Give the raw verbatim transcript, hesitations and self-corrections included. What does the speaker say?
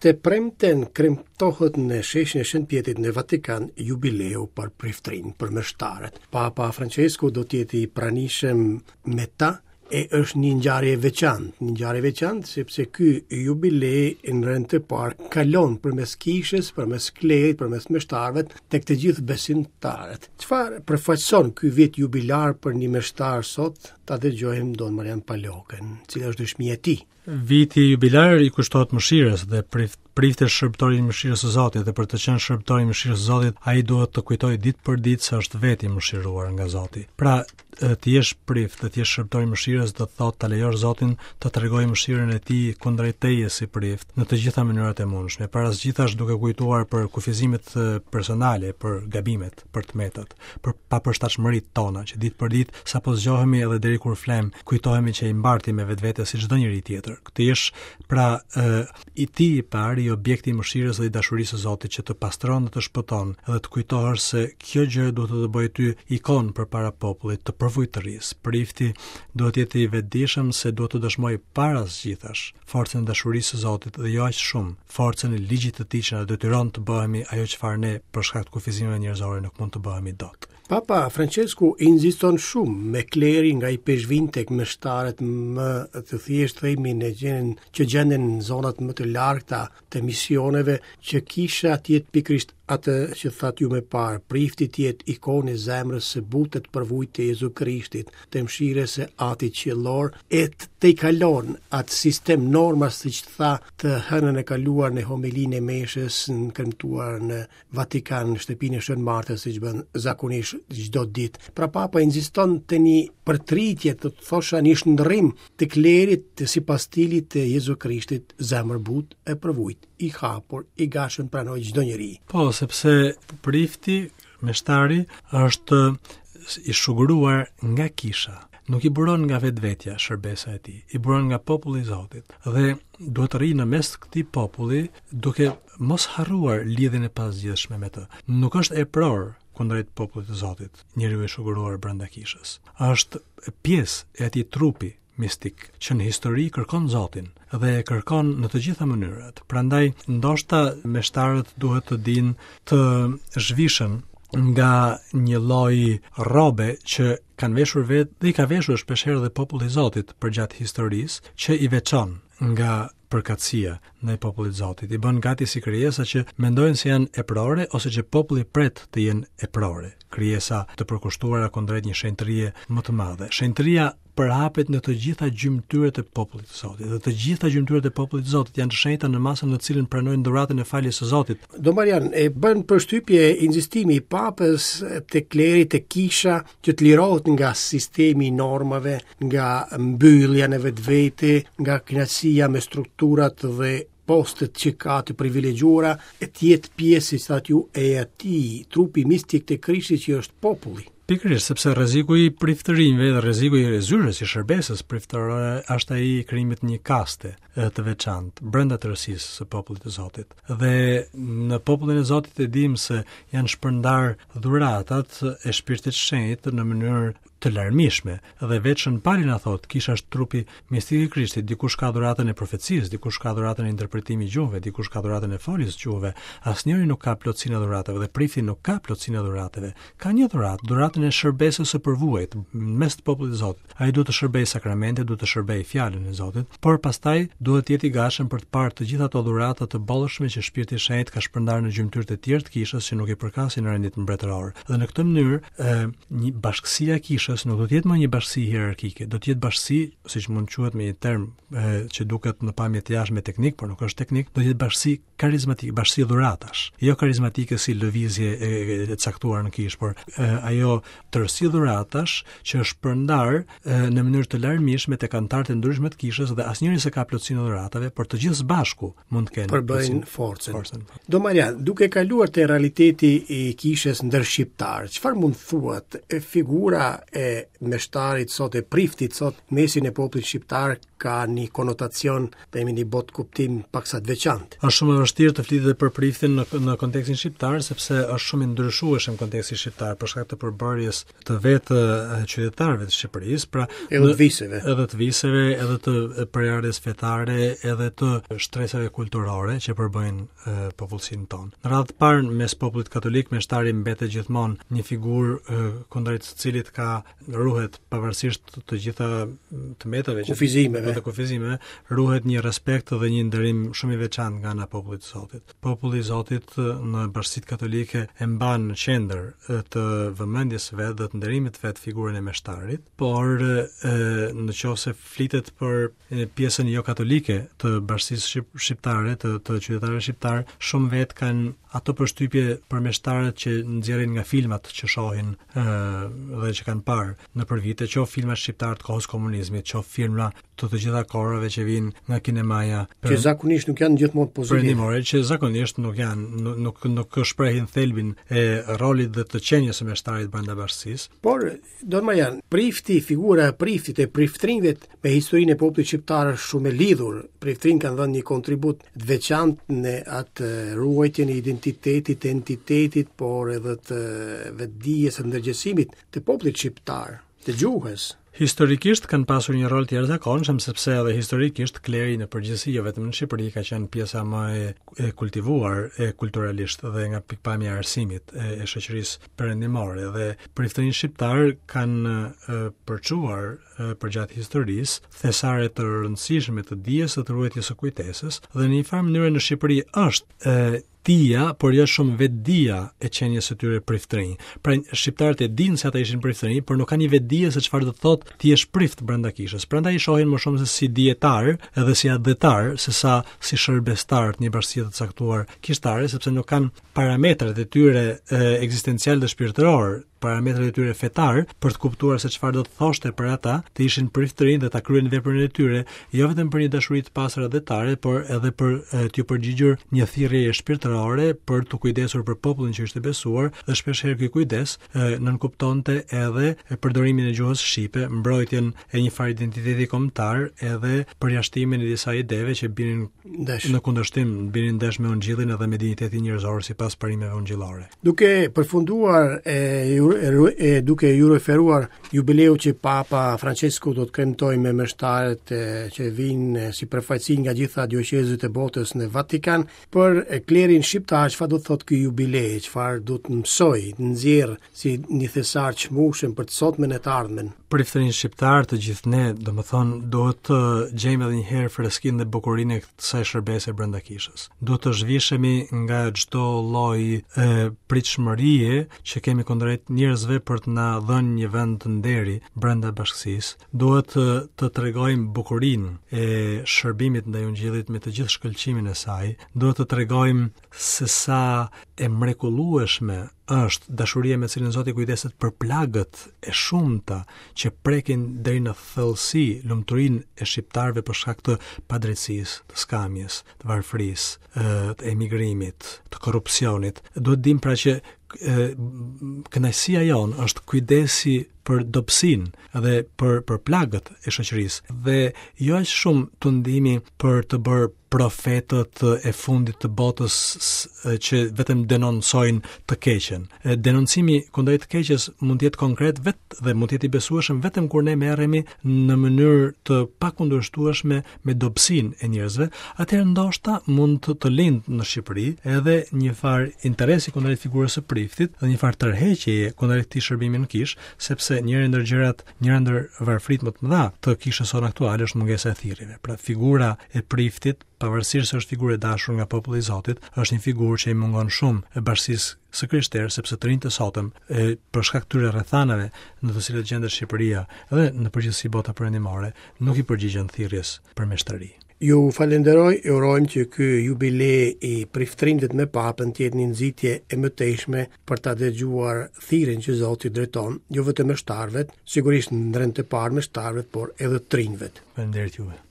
Të premten kremtohet në sheshin e Shën Pjetrit në Vatikan jubileu për priftrin, për meshtarët. Papa Francesco do të jetë i pranishëm me ta e është një ngjarje e veçantë, një ngjarje e veçantë sepse ky jubile në rend të parë kalon përmes kishës, përmes klerit, përmes meshtarëve tek të gjithë besimtarët. Çfarë përfaqëson ky vit jubilar për një meshtar sot? Ta dëgjojmë Don Marian Palokën, cila është dëshmia e tij. Viti jubilar i kushtohet mëshirës dhe prift prifti është shërbëtori i mëshirës së Zotit dhe për të qenë shërbëtor i mëshirës së Zotit, ai duhet të kujtojë ditë për ditë se është vetë i mëshiruar nga Zoti. Pra, të jesh prift dhe të jesh shërbëtor i mëshirës do të thotë ta lejosh Zotin të tregojë mëshirën e tij kundrejt teje si prift në të gjitha mënyrat e mundshme. Para së gjithash duke kujtuar për kufizimet personale, për gabimet, për të metat, për papërshtatshmëritë tona që ditë për ditë sapo zgjohemi edhe deri kur flem, kujtohemi që i mbartim me vetvete si çdo njeri tjetër. Të jesh pra e, i ti i pari i objekti i mëshirës dhe i dashurisë së Zotit që të pastron dhe të shpëton, edhe të kujtohesh se kjo gjë duhet të të bëjë ty ikon përpara popullit të përvujtërisë. Prifti duhet të jetë i vetëdijshëm se duhet të dëshmojë para së gjithash forcën e dashurisë së Zotit dhe jo aq shumë forcën e ligjit të tij që na detyron të bëhemi ajo çfarë ne për shkak të kufizimeve njerëzore nuk mund të bëhemi dot. Papa Francesku insiston shumë me klerin nga i peshvin tek meshtarët më të thjeshtë themi në gjendjen që gjenden në zonat më të largëta të misioneve, që kisha të jetë pikërisht atë që thatë ju më parë, prifti të jetë ikonë e zemrës së butë të përvujtë të Jezu Krishtit, të mëshirës së Atit Qiellor, e të tejkalon atë sistem normash siç tha të hënën e kaluar në homilinë e meshës në kremtuar në Vatikan, në shtëpinë e Shën Martës, siç bën zakonisht çdo ditë. Pra Papa insiston te një përtritje, të thosha një shndërrim të klerit të sipas stilit të Jezu Krishtit, zemër butë e përvujt, i hapur, i gatshëm pranoj çdo njeri. Po, sepse prifti, meshtari, është i shuguruar nga kisha. Nuk i buron nga vetvetja shërbesa e tij, i buron nga populli i Zotit. Dhe duhet të rrijë në mes të këtij populli duke mos harruar lidhjen e pazgjidhshme me të. Nuk është epror kundrejt popullit të Zotit, njeriu i shuguruar brenda kishës. Është pjesë e atij trupi mistik që në histori kërkon Zotin dhe e kërkon në të gjitha mënyrat. Prandaj ndoshta meshtarët duhet të dinë të zhvishen nga një lloj rrobe që kanë veshur vetë dhe i ka veshur shpeshherë edhe populli i Zotit përgjatë historisë, që i veçon nga përkatësia ndaj popullit Zotit. I bën gati si krijesa që mendojnë se janë eprore ose që populli pret të jenë eprore, krijesa të përkushtuara kundrejt një shenjtërie më të madhe. Shenjtëria përhapet në të gjitha gjymtyrët e popullit të Zotit. Dhe të gjitha gjymtyrët e popullit të Zotit janë të shenjta në masën në të cilën pranojnë dhuratën e faljes së Zotit. Don Marian, e bën përshtypje insistimi i Papës te kleri, te kisha, që të lirohet nga sistemi i normave, nga mbyllja në vetvete, nga kënaqësia me strukturat dhe postet që ka të privilegjuara, e të jetë pjesë, si thatë ju, e atij trupi mistik të Krishtit që është populli. Pikërisht, sepse rreziku i priftërinjve dhe rreziku i zyrës i shërbesës priftërore është ai i krijimit një kaste të veçantë brenda tërësisë së popullit të Zotit. Dhe në popullin e Zotit e dimë se janë shpërndar dhuratat e Shpirtit Shenjt në mënyrë të larmishme dhe vetë Shën Pali na thotë, kisha është trupi mistik i Krishtit, dikush ka dhuratën e profecisë, dikush ka dhuratën e interpretimit gjuhëve, dikush ka dhuratën e foljes gjuhëve. Asnjëri nuk ka plotësinë e dhuratave dhe prifti nuk ka plotësinë e dhuratave. Ka një dhuratë, dhuratën e shërbesës së përvuajt në mes të popullit të Zotit. Ai duhet të shërbejë sakramente, duhet të shërbejë fjalën e Zotit, por pastaj duhet të jetë i gatshëm për të parë të gjitha ato dhurata të bollshme që Shpirti i Shenjt ka shpërndarë në gjymtyrët e tjerë të kishës që nuk i përkasin rendit mbretëror. Dhe në këtë mënyrë, ë një bashkësia e kishës nuk do të jetë më një bashkësi hierarkike, do të jetë bashkësi, siç mund të quhet me një term e, që duket në pamje të jashtme teknik, por nuk është teknik, do të jetë bashkësi karizmatike, bashkësi dhuratash. Jo karizmatike si lëvizje e, e, e caktuar në kishë, por e, ajo tërësi dhuratash që është shpërndar e, në mënyrë të larmishme tek anëtarët e ndryshme të kishës dhe asnjëri s'e ka plotësinë e dhuratave, por të gjithë së bashku mund të kenë përbëjnë forcën. forcën. Do Marian, duke kaluar te realiteti i kishës ndër shqiptar, çfarë mund thuat e figura e e meshtarit sot, e priftit sot, mesin e popullit shqiptar ka një konotacion, themi një botkuptim paksa të veçantë. Është shumë e vështirë të flitet për priftin në në kontekstin shqiptar sepse është shumë i ndryshueshëm konteksti shqiptar për shkak të përbërjes të vetë qytetarëve të Shqipërisë, pra edhe të viseve, edhe të viseve, edhe të prejardhjes fetare, edhe të shtresave kulturore që përbëjnë popullsinë tonë. Në radhë të parë mes popullit katolik meshtari mbetet gjithmonë një figurë kundrejt së cilit ka ruhet pavarësisht të gjitha të metave që kufizimeve, të kufizimeve, ruhet një respekt dhe një nderim shumë i veçantë nga ana e popullit të Zotit. Populli i Zotit në bashkësitë katolike e mban në qendër të vëmendjes së vet dhe të nderimit të vet figurën e meshtarit, por e, në qoftë se flitet për pjesën jo katolike të bashkësisë shqiptare, të, të qytetarëve shqiptar, shumë vet kanë ato përshtypje për meshtarët që nxjerrin nga filmat që shohin ë dhe që kanë parë nëpër vite, qoftë filma shqiptar të kohës komunizmit, qoftë filma të të gjitha kohërave që vijnë nga kinemaja, që zakonisht nuk janë gjithmonë pozitive. Perëndimore, që zakonisht nuk janë, nuk nuk, nuk shprehin thelbin e rolit dhe të qenies së meshtarit brenda bashkësisë. Por Don Marjan, prifti, figura e priftit e priftrinjve me historinë e popullit shqiptar është shumë e lidhur. Priftrinjtë kanë dhënë një kontribut të veçantë në atë ruajtjen e identitetit, entitetit, por edhe të vetëdijes e ndërgjegjësimit të popullit shqiptar, të gjuhës. Historikisht kanë pasur një rol të jashtëzakonshëm sepse edhe historikisht kleri në përgjithësi jo vetëm në Shqipëri ka qenë pjesa më e, e kultivuar e kulturalisht dhe nga pikpamja e arsimit e, e shoqërisë perëndimore dhe priftërinjtë shqiptar kanë e, përçuar e, përgjatë historisë thesare të rëndësishme të dijes dhe të ruajtjes së kujtesës dhe në një farë mënyre në Shqipëri është e, dija, por jo shumë vetëdija e qenies së tyre priftërinj. Pra shqiptarët e dinë se ata ishin priftërinj, por nuk kanë një vetëdije se çfarë do të thotë ti jesh prift brenda kishës. Prandaj i shohin më shumë se si dietar edhe si atdhetar, se sa si shërbestar të një bashkësie të caktuar kishtare, sepse nuk kanë parametrat e tyre ekzistencial dhe shpirtëror, parametrat e tyre fetar për të kuptuar se çfarë do të thoshte për ata të ishin priftërinj dhe ta kryenin veprën e tyre, jo vetëm për një dashuri të pastër atdhetare, por edhe për t'ju përgjigjur një thirrje shpirtërore për t'u kujdesur për popullin që ishte besuar, dhe shpesh herë ky kujdes e, nënkuptonte edhe përdorimin e gjuhës shqipe, mbrojtjen e një farë identiteti kombëtar, edhe përjashtimin e disa ideve që binin ndesh në kundërshtim, binin ndesh me ungjillin edhe me dinjitetin njerëzor sipas parimeve ungjillore. Duke përfunduar e, e, duke ju referuar jubileu që Papa Francesco do të kremtojë me meshtarët që vinë si përfaqësi nga gjitha dioqezët e botës në Vatikan, për klerin shqiptar çfarë do të thotë ky jubile, çfarë do të mësoj, të nxjerr si një thesar çmueshëm për të sotmen e të ardhmen? Priftërinj shqiptar të gjithë ne, domethënë, duhet të gjejmë edhe një herë freskinë dhe bukurinë e kësaj shërbese brenda kishës. Duhet të zhvishemi nga çdo lloj e pritshmërie që kemi kundrejt njerëzve për të na dhënë një vend të nderi brenda bashkësisë. Duhet të, të tregojmë bukurinë e shërbimit ndaj ungjillit me të gjithë shkëlqimin e saj. Duhet të tregojmë se sa e mrekullueshme është dashuria me cilën Zoti kujdeset për plagët e shumta që prekin deri në thellësi lumturinë e shqiptarëve për shkak të padrejtësisë, të skamjes, të varfërisë, të emigrimit, të korrupsionit. Duhet dim pra që kënaqësia jonë është kujdesi për dobësinë dhe për për plagët e shoqërisë dhe jo aq shumë tundimi për të bërë profetët e fundit të botës që vetëm denoncojnë të keqen. Denoncimi kundrejt të keqes mund të jetë konkret vet dhe mund të jetë i besueshëm vetëm kur ne merremi në mënyrë të pakundërshtueshme me dobësinë e njerëzve, atëherë ndoshta mund të, të lind në Shqipëri edhe një farë interesi kundrejt figurës së priftit dhe një farë tërheqjeje kundrejt këtij shërbimi në kishë, sepse njëri ndër gjërat, njëra ndër varfrit më të mëdha të kishës sonë aktuale është mungesa e thirrjeve. Pra figura e priftit, pavarësisht se është figurë e dashur nga populli i Zotit, është një figurë që i mungon shumë e bashkësisë së krishterë, sepse të rinjtë e sotëm, e, për shkak të tyre rrethanave në të cilat gjendet Shqipëria dhe në përgjithësi bota perëndimore, nuk i përgjigjen thirrjes për meshtëri. Ju falenderoj, e urojmë që ky jubile i priftërinjve me Papën të jetë një nxitje e mëtejshme për ta dëgjuar thirrjen që Zoti drejton, jo vetëm meshtarëve, sigurisht në rend të parë meshtarëve, por edhe të rinjve. Faleminderit juve.